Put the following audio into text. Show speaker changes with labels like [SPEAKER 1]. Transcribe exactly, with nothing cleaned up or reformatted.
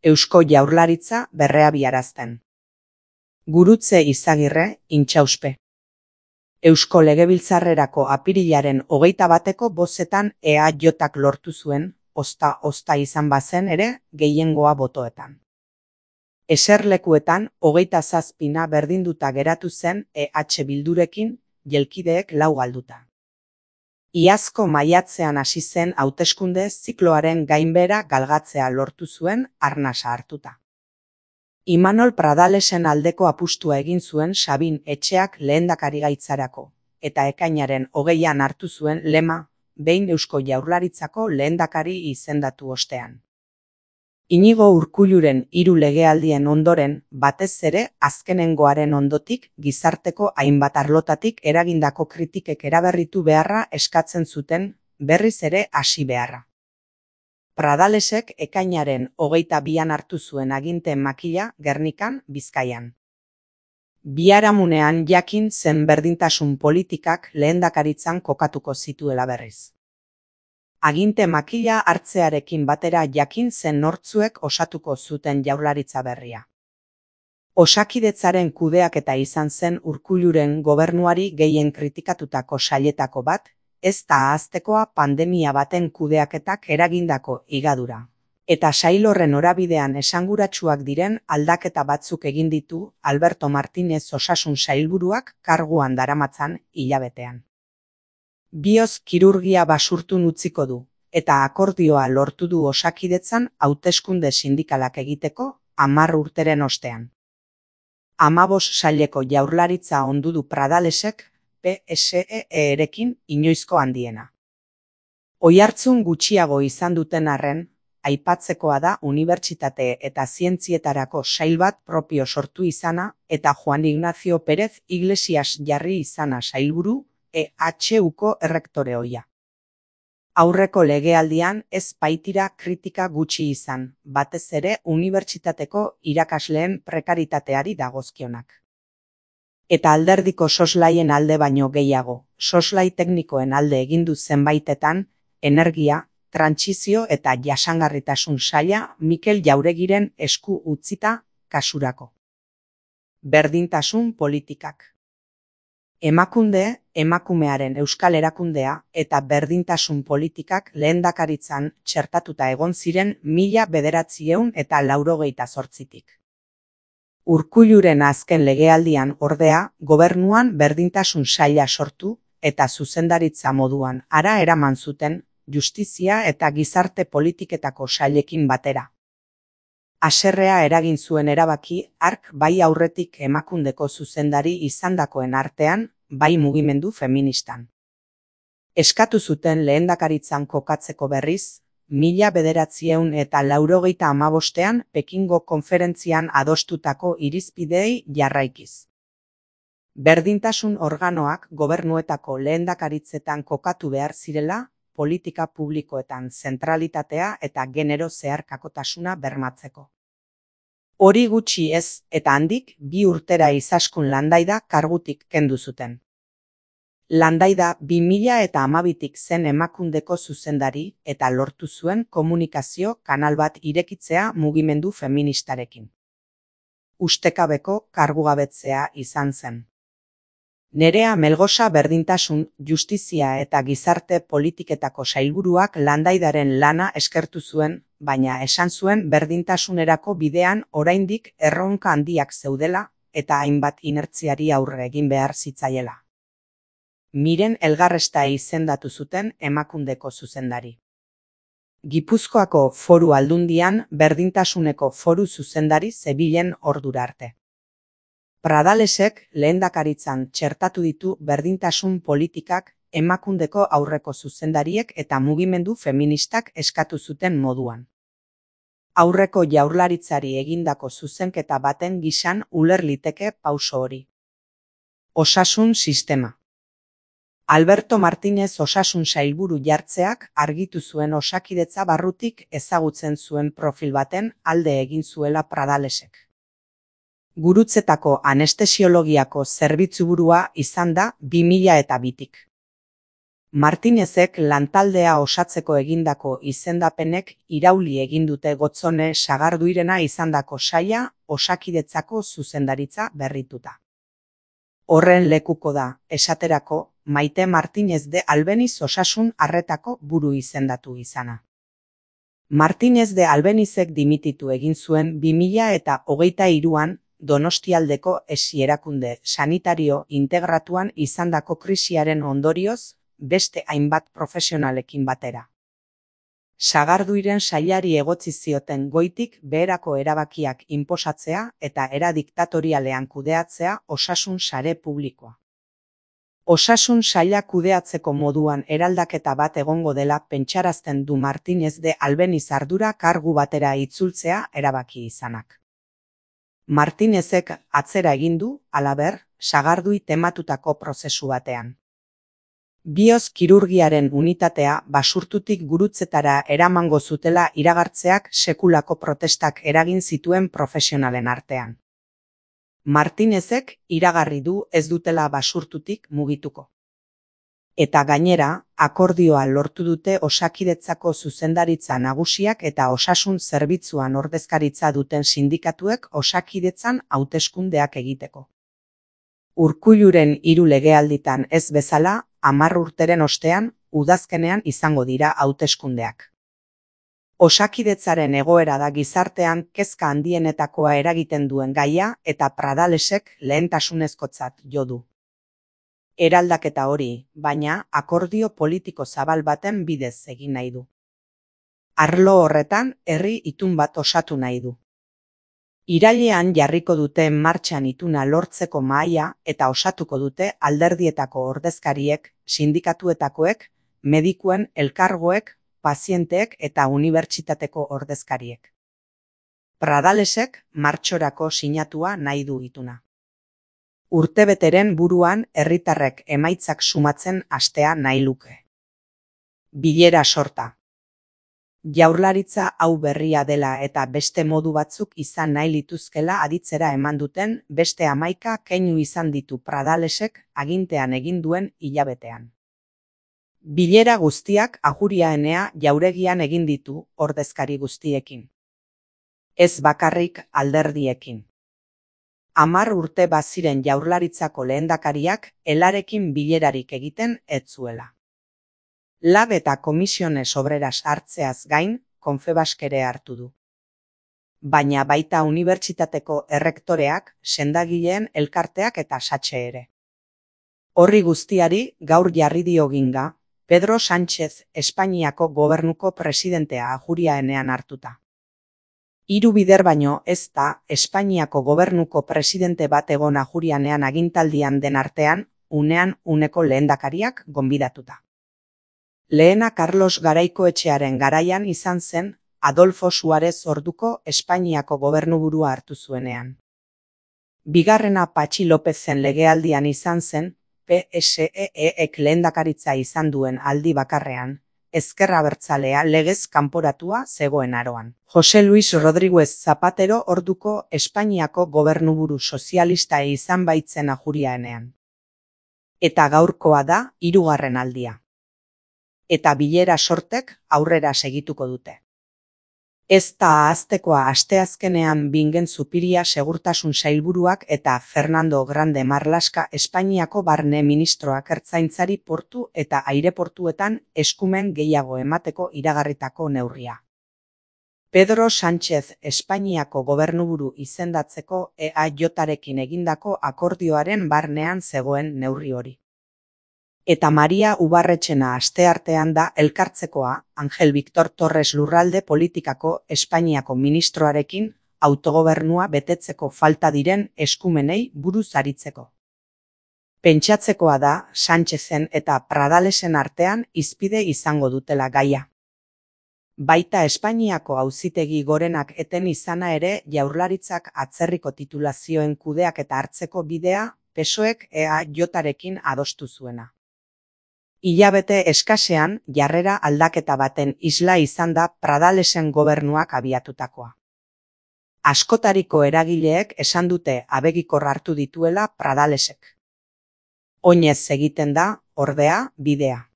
[SPEAKER 1] Eusko Jaurlaritza berreabiarazten. Gurutze Izagirre, Intxauspe. Eusko Legebiltzarrerako apirilaren hogeita bateko bozetan E A Jk lortu zuen, ozta-ozta izan bazen ere, gehiengoa botoetan. Eserlekuetan, hogeita zazpina berdinduta geratu zen E H Bildurekin, jelkideek lau galduta. Iazko maiatzean hasi zen hauteskunde zikloaren gainbehera galgatzea lortu zuen arnasa hartuta. Imanol Pradalesen aldeko apustua egin zuen Sabin Etxeak lehendakarigaitzarako, eta ekainaren hogeian hartu zuen lema, behin Eusko Jaurlaritzako lehendakari izendatu ostean. Inigo Urkulluren hiru legealdien ondoren, batez ere azkenengoaren ondotik, gizarteko hainbat arlotatik eragindako kritikek eraberritu beharra eskatzen zuten, berriz ere hasi beharra. Pradalesek ekainaren hogeita bian hartu zuen aginte makila Gernikan, Bizkaian. Biharamunean jakin zen berdintasun politikak lehendakaritzan kokatuko zituela berriz. Aginte makila hartzearekin batera jakin zen nortzuek osatuko zuten jaurlaritza berria. Osakidetzaren kudeaketa izan zen Urkulluren gobernuari gehien kritikatutako sailetako bat, ez da ahaztekoa pandemia baten kudeaketak eragindako higadura. Eta sail horren norabidean esanguratsuak diren aldaketa batzuk egin ditu Alberto Martinez osasun sailburuak karguan daramatzan hilabetean. Bioz kirurgia basurtun utziko du, eta akordioa lortu du Osakidetzan hauteskunde sindikalak egiteko hamar urteren ostean. Hamabos saileko jaurlaritza ondu du Pradalesek P S E-erekin inoizko handiena. Oihartzun gutxiago izan duten arren, aipatzekoa da unibertsitate eta zientzietarako sail bat propio sortu izana eta Juan Ignacio Pérez Iglesias jarri izana sailburu, E H Uko errektore ohia. Aurreko legealdian ez baitira kritika gutxi izan, batez ere unibertsitateko irakasleen prekaritateari dagozkionak. Eta alderdiko soslaien alde baino gehiago, soslai teknikoen alde egindu zenbaitetan, energia, trantsizio eta jasangarritasun saila Mikel Jauregiren esku utzita kasurako. Berdintasun politikak. Emakunde, emakumearen euskal erakundea eta berdintasun politikak lehendakaritzan txertatuta egon ziren mila bederatziehun eta laurogeita zortzitik. Urkulluren azken legealdian ordea, gobernuan berdintasun saila sortu eta zuzendaritza moduan hara eraman zuten justizia eta gizarte politiketako sailekin batera. Haserrea eragin zuen erabaki hark bai aurretik emakundeko zuzendari izandakoen artean, bai mugimendu feministan. Eskatu zuten lehendakaritzan kokatzeko berriz, mila bederatziehun eta laurogeita hamabostean Pekingo konferentzian adostutako irizpideei jarraikiz. Berdintasun organoak gobernuetako lehendakaritzetan kokatu behar zirela, politika publikoetan zentralitatea eta genero zeharkakotasuna bermatzeko. Hori gutxi ez, eta handik bi urtera Izaskun Landaida kargutik kendu zuten. Landaida bi mila eta hamabitik zen emakundeko zuzendari eta lortu zuen komunikazio kanal bat irekitzea mugimendu feministarekin. Ustekabeko kargugabetzea izan zen. Nerea Melgosa berdintasun, justizia eta gizarte politiketako sailburuak Landaidaren lana eskertu zuen, baina esan zuen berdintasunerako bidean oraindik erronka handiak zeudela eta hainbat inertziari aurre egin behar zitzaiela. Miren Elgarresta izendatu zuten emakundeko zuzendari. Gipuzkoako Foru Aldundian berdintasuneko foru zuzendari zebilen ordura arte. Pradalesek lehendakaritzan txertatu ditu berdintasun politikak emakundeko aurreko zuzendariek eta mugimendu feministak eskatu zuten moduan. Aurreko jaurlaritzari egindako zuzenketa baten gisan uler liteke pauso hori. Osasun sistema. Alberto Martinez osasun sailburu jartzeak argitu zuen Osakidetza barrutik ezagutzen zuen profil baten alde egin zuela Pradalesek. Gurutzetako anestesiologiako zerbitzuburua izan da bi mila eta bitik. Martinezek lantaldea osatzeko egindako izendapenek irauli egin dute Gotzone Sagarduirena izandako saila Osakidetzako zuzendaritza berrituta. Horren lekuko da, esaterako, Maite Martinez de Albeniz osasun arretako buru izendatu izana. Martinez de Albenizek dimititu egin zuen bi mila eta hogeita hiruan Donostialdeko esi erakunde sanitario integratuan izandako krisiaren ondorioz, beste hainbat profesionalekin batera. Sagarduiren sailari egotzi zioten goitik beherako erabakiak inposatzea eta era diktatorialean kudeatzea osasun sare publikoa. Osasun saila kudeatzeko moduan eraldaketa bat egongo dela pentsarazten du Martinez de Albeniz ardura kargu batera itzultzea erabaki izanak. Martinezek atzera egin du, halaber, Sagardui tematutako prozesu batean. Bioz kirurgiaren unitatea basurtutik gurutzetara eramango zutela iragartzeak sekulako protestak eragin zituen profesionalen artean. Martinezek iragarri du ez dutela basurtutik mugituko. Eta gainera, akordioa lortu dute Osakidetzako zuzendaritza nagusiak eta osasun zerbitzuan ordezkaritza duten sindikatuek Osakidetzan hauteskundeak egiteko. Urkulluren hiru legealditan ez bezala, hamar urteren ostean, udazkenean izango dira hauteskundeak. Osakidetzaren egoera da gizartean kezka handienetakoa eragiten duen gaia eta Pradalesek lehentasunezkotzat jo du. Eraldaketa hori, baina, akordio politiko zabal baten bidez egin nahi du. Arlo horretan, herri itun bat osatu nahi du. Irailean jarriko dute martxan ituna lortzeko mahaia eta osatuko dute alderdietako ordezkariek, sindikatuetakoek, medikuen elkargoek, pazienteek eta unibertsitateko ordezkariek. Pradalesek martxorako sinatua nahi du ituna. Urtebeteren buruan herritarrek emaitzak sumatzen hastea nahi luke. Bilera sorta. Jaurlaritza hau berria dela eta beste modu batzuk izan nahi lituzkela aditzera eman duten beste hamaika keinu izan ditu Pradalesek agintean egin duen hilabetean. Bilera guztiak Ajuriaenea jauregian egin ditu ordezkari guztiekin. Ez bakarrik alderdiekin. Hamar urte baziren Jaurlaritzako lehendakariak helarekin bilerarik egiten ez zuela. Lab eta Komisiones Obreras hartzeaz gain, Confebask ere hartu du. Baina baita unibertsitateko errektoreak, sendagileen elkarteak eta satxe ere. Horri guztiari gaur jarri dio ginga, Pedro Sánchez Espainiako gobernuko presidentea Ajuriaenean hartuta. Hiru bider baino ez da Espainiako gobernuko presidente bat egon Ajurianean agintaldian den artean, unean uneko lehendakariak gonbidatuta. Lehena Carlos Garaikoetxearen garaian izan zen Adolfo Suarez orduko Espainiako gobernuburua hartu zuenean. Bigarrena Patxi Lopezen legealdian izan zen P S E ek lehendakaritza izan duen aldi bakarrean, Ezker Abertzalea legez kanporatua zegoen aroan. Jose Luis Rodríguez Zapatero orduko Espainiako gobernuburu sozialista izan baitzen Ajuriaenean. Eta gaurkoa da hirugarren aldia. Eta bilera sortek aurrera segituko dute. Ez da ahaztekoa asteazkenean Bingen Zupiria segurtasun sailburuak eta Fernando Grande Marlaska Espainiako barne ministroak ertzaintzari portu eta aireportuetan eskumen gehiago emateko iragarritako neurria. Pedro Sánchez Espainiako gobernuburu izendatzeko E A J-arekin egindako akordioaren barnean zegoen neurri hori. Eta Maria Ubarretxena asteartean da elkartzekoa Angel Victor Torres lurralde politikako Espainiako ministroarekin autogobernua betetzeko falta diren eskumenei buruz aritzeko. Pentsatzekoa da Sánchezen eta Pradalesen artean hizpide izango dutela gaia. Baita Espainiako auzitegi gorenak eten izana ere Jaurlaritzak atzerriko titulazioen kudeak eta hartzeko bidea P S O Ek E A J-arekin adostu zuena. Hilabete eskasean jarrera aldaketa baten isla izan da Pradalesen gobernuak abiatutakoa. Askotariko eragileek esan dute abegikor hartu dituela Pradalesek. Oinez egiten da, ordea, bidea.